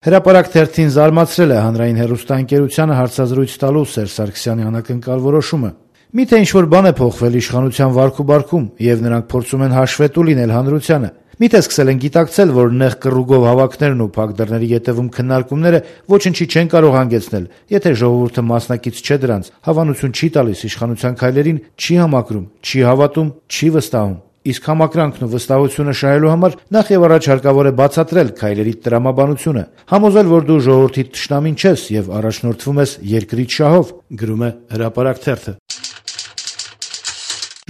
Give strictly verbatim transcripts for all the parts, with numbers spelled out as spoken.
Հրապարակ թերթին զարմացրել է հանրային հեռուստաընկերությանը հարցազրույց տալու Սերժ Սարգսյանի անակնկալ որոշումը։ Միթե ինչ-որ բան է փոխվել իշխանության վարքուբարքում, եւ նրանք փորձում են հաշվետու լինել հանրությանը։ Միթե սկսել են գիտակցել, որ նեղ կռուգով հավաքներն ու փակ դռների ետևում քննարկումները ոչնչի չեն կարող հանգեցնել, եթե ժողովուրդը մասնակից չէ դրանց, հավանություն չի տալիս իշխանության քայլերին, չի համակրում, չի հավատում, չի վստահում։ Իսկ համակրանքն ու վստահությունը շահելու համար նախ եւ առաջ հարկավոր է բացատրել քայլերի տրամաբանությունը, համոզել, որ դու ժողովրդի թշնամին չես եւ առաջնորդվում ես երկրի շահով, գրում է Հրապարակ թերթը։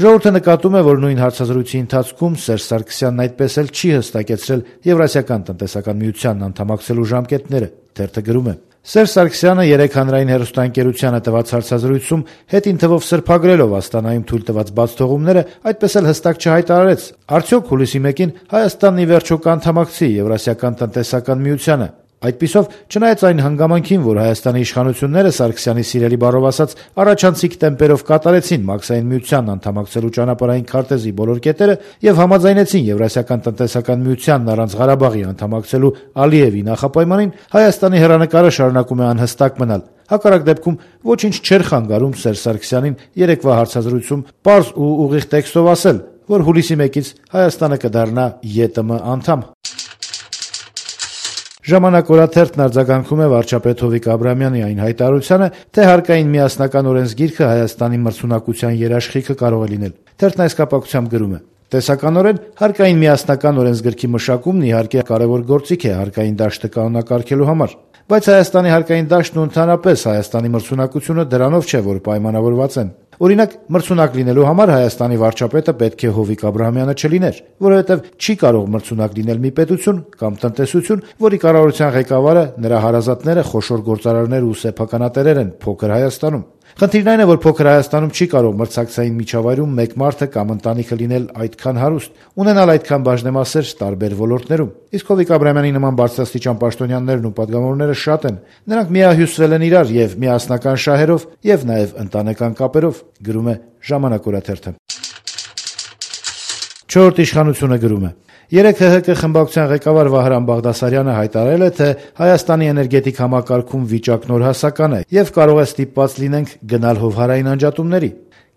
Ժողովուրդը նկատում է, որ նույն հարցազրույցի ընթացքում Սերժ Սարգսյանն այդպես էլ չի հստակեցրել Եվրասիական տնտեսական միությանն անդամակցելու ժամկետները։ Թերթը գրում է. Սերժ Սարգսյանը երեկ հանրային հեռուստաընկերությանը տված հարցազրույցում հետին թվով սրբագրելով Աստանայում թույլ տված բացթողումները այդպես էլ հստակ չհայտարարեց, արդյոք հուլիսի մեկին Հայաստանն ի վերջո կանդամակցի Եվրասիական տնտեսական միությանը։ Այդպիսով, չնայած այն հանգամանքին, որ Հայաստանի իշխանությունները Սարգսյանի սիրելի բառով ասած առաջանցիկ տեմպերով կատարեցին Մաքսային միությանն անդամակցելու ճանապարհային քարտեզի բոլոր կետերը եւ համաձայնեցին Եվրասիական տնտեսական միությանն առանց Ղարաբաղի անդամակցելու Ալիևի նախապայմանին, Հայաստանի հեռանկարը շարունակում է անհստակ մնալ։ Հակառակ դեպքում ոչինչ չէր խանգարում Սերժ Սարգսյանին երեկվա հարցազրույցում պարզ ու ուղիղ տեքստով ասել, որ հուլիսի մեկից Հայաստանը կդառնա ԵՏՄ անդամ։ Ժամանակ օրաթերթն արձագանքում է վարչապետ Հովիկ Աբրահամյանի այն հայտարարությանը, թե հարկային միասնական օրենսգիրքը Հայաստանի մրցունակության երաշխիքը կարող է լինել։ Թերթն այս կապակցությամբ գրում է. Տեսականորեն հարկային միասնական օրենսգրքի մշակումն իհարկե կարևոր գործիք է հարկային դաշտը կանոնակարգելու համար, բայց Հայաստանի հարկային դաշտն ու ընդհանրապես Հայաստանի մրցունակությունը դրանով չէ, որ պայմանավորված են։ Օրինակ, մրցունակ լինելու համար Հայաստանի վարչապետը պետք է Հովիկ Աբրահամյանը չլիներ, որովհետև չի կարող մրցունակ լինել մի պետություն կամ տնտեսություն, որի կառավարության ղեկավարը, նրա հարազատները խոշոր գործարարներ ու սեփականատերեր են փոքր Հայաստանում։ Խնդիրն այն է, որ փոքր Հայաստանում չի կարող մրցակցային միջավայրում մեկ մարդը կամ ընտանիքը լինել այդքան հարուստ, ունենալ այդքան բաժնեմասեր տարբեր ոլորտներում։ Իսկ Հովիկ Աբրահամյանի նման բարձրաստիճան պաշտոնյաներն ու պատգամավորները շատ են։ Նրանք միահյուսվել են իրար եւ միասնական շահերով եւ նաեւ ընտանեկան կապերով, գրում է Ժամանակ օրաթերթը։ Չորրորդ իշխանությունը գրում է. Երեկ ՀՀԿ խմբակցության ղեկավար Վահրամ Բաղդասարյանը հայտարարել է, թե Հայաստանի էներգետիկ համակարգում վիճակն օրհասական է եւ կարող է ստիպված լինենք գնալ հովհարային անջատումների։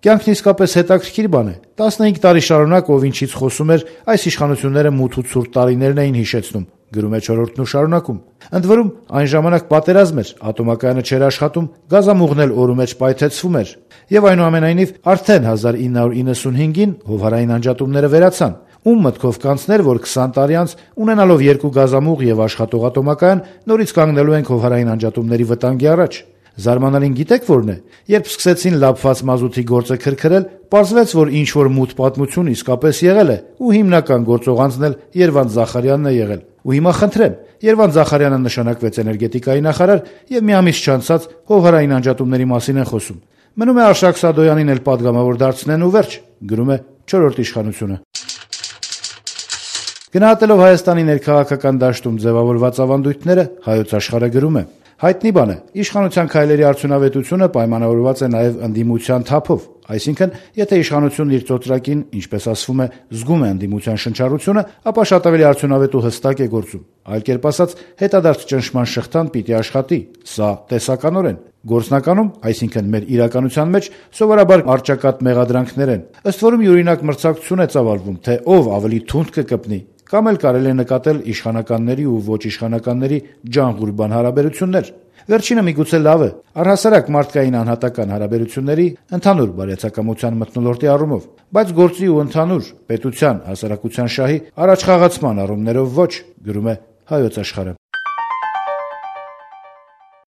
Կյանքն իսկապես հետաքրքիր բան է։ տասնհինգ տարի շարունակ ով ինչից խոսում էր, այս իշխանությունները մութ ու ցուրտ տարիներն էին հիշեցնում, գրում է Չորրորդն ու շարունակում։ Ընդ որում, այն ժամանակ պատերազմ էր, ատոմակայանը չէր աշխատում, գազամուղն էլ օրու մեջ պայթեցվում էր։ Եվ այնուամենայնիվ, արդեն հազար ինը հարյուր իննսունհինգին հովհարային անջատումները վերացան։ Ում մտքով կանցներ, որ քսան տարի անց, ունենալով երկու գազամուղ եւ աշխատող ատոմակայան, նորից կանգնելու ենք հովհարային անջատումների վտանգի առաջ։ Զարմանալին գիտեք որն է, երբ սկսեցին լափված մազութի գործը քրքրել, պարզվեց, որ ինչ որ մութ պատմություն իսկապես եղել է, ու հիմնական գործողանցն էլ Երվանդ Զախարյանն է եղել։ Ու հիմա խնդրեմ, Երվանդ Զախարյանը նշանակվեց էներգետիկայի նախարար եւ մի ամիս չանցած հովհարային անջատումների մասին են խոսում։ Մնում է Արշակ Սադոյանին էլ պատգամավոր դարձնեն ու վերջ, գրում է Չորրորդ իշխանությունը։ Գնահատելով Հայաստանի ներքաղաքական դաշտում ձևավորված ավանդույթները, Հայոց աշխարհը գրում է. Հայտնի բան է, իշխանության քայլերի արդյունավետությունը պայմանավորված է նաև ընդդիմության թափով, այսինքն, եթե իշխանությունն իր ծոծրակին, ինչպես ասվում է, զգում է ընդդիմության շնչառությունը, ապա շատ ավելի արդյունավետ ու հստակ է գործում։ Այլ կերպ ասած, հետադարձ ճնշման շղթան պիտի աշխատի, սա տեսականորեն։ Գործնականում, այսինքն մեր իրականության մեջ, սովորաբար առճակատ մեղադրանքներ են, ըստ որում յուրօրինակ մրցակցություն է ծավալվում, թե ով ավելի թունդ կկպնի, կամ էլ կարելի է նկատել իշխանականների ու ոչ իշխանականների ջանղուրբան հարաբերություններ։ Վերջինը միգուցե լավ է, առհասարակ մարդկային անհատական հարաբերությունների ընդհանուր բարյացակամության մթնոլորտի առումով, բայց գործի ու ընդհանուր պետության, հասարակության շահի առաջխաղացման առումներով ոչ, գրում է Հայոց աշխարհը։